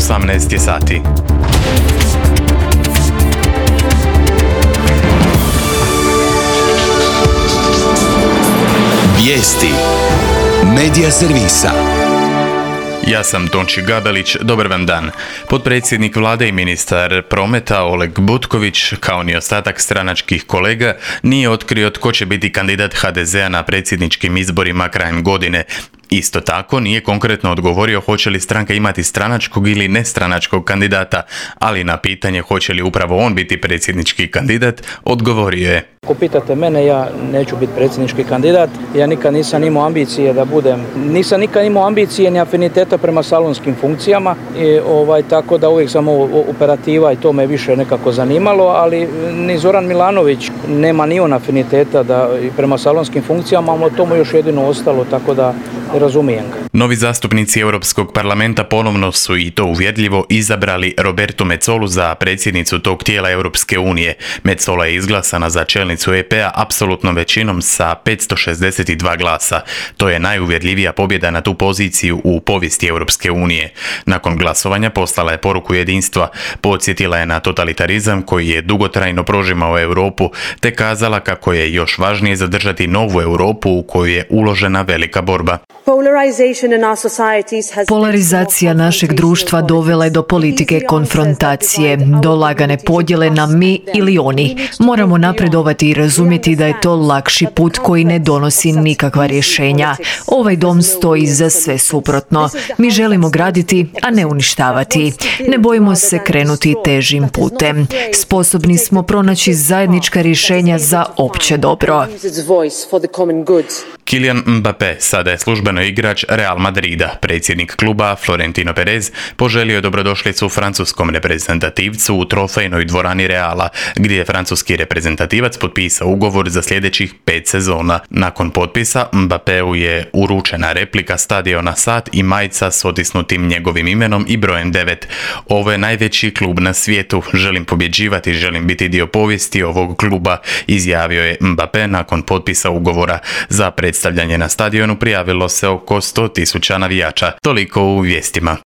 18 je sati. Vijesti Medija servisa. Ja sam Tonči Gabelić, dobar vam dan. Potpredsjednik vlade i ministar prometa Oleg Butković, kao ni ostatak stranačkih kolega, nije otkrio tko će biti kandidat HDZ-a na predsjedničkim izborima krajem godine. Isto tako nije konkretno odgovorio hoće li stranka imati stranačkog ili nestranačkog kandidata, ali na pitanje hoće li upravo on biti predsjednički kandidat, odgovorio je: Ako pitate mene, ja neću biti predsjednički kandidat. Ja nikad nisam imao ambicije da budem, nisam nikad imao ambicije ni afiniteta prema salonskim funkcijama, tako da uvijek sam operativa i to me više nekako zanimalo, ali ni Zoran Milanović nema ni on afiniteta da prema salonskim funkcijama, ali to mu još jedino ostalo, tako da razumijem ga. Novi zastupnici Europskog parlamenta ponovno su, i to uvjerljivo, izabrali Robertu Metsolu za predsjednicu tog tijela Europske unije. Metsola je izglasana za čelnicu EP-a apsolutnom većinom sa 562 glasa. To je najuvjerljivija pobjeda na tu poziciju u povijesti Europske unije. Nakon glasovanja poslala je poruku jedinstva, podsjetila je na totalitarizam koji je dugotrajno prožimao Europu, te kazala kako je još važnije zadržati novu Europu u koju je uložena velika borba. Polarizacija našeg društva dovela je do politike konfrontacije, do lagane podjele na mi ili oni. Moramo napredovati i razumjeti da je to lakši put koji ne donosi nikakva rješenja. Ovaj dom stoji za sve suprotno. Mi želimo graditi, a ne uništavati. Ne bojimo se krenuti težim putem. Sposobni smo pronaći zajednička rješenja za opće dobro. Kylian Mbappé sada je službeno igrač Real Madrida. Predsjednik kluba Florentino Perez poželio je dobrodošlicu francuskom reprezentativcu u trofejnoj dvorani Reala, gdje je francuski reprezentativac potpisao ugovor za sljedećih 5 sezona. Nakon potpisa Mbappéu je uručena replika stadiona sat i majica s otisnutim njegovim imenom i brojem 9. Ovo je najveći klub na svijetu. Želim pobjeđivati, želim biti dio povijesti ovog kluba, izjavio je Mbappé nakon potpisa ugovora. Za predstavljanje na stadionu prijavilo se oko 100.000 navijača. Toliko u vijestima.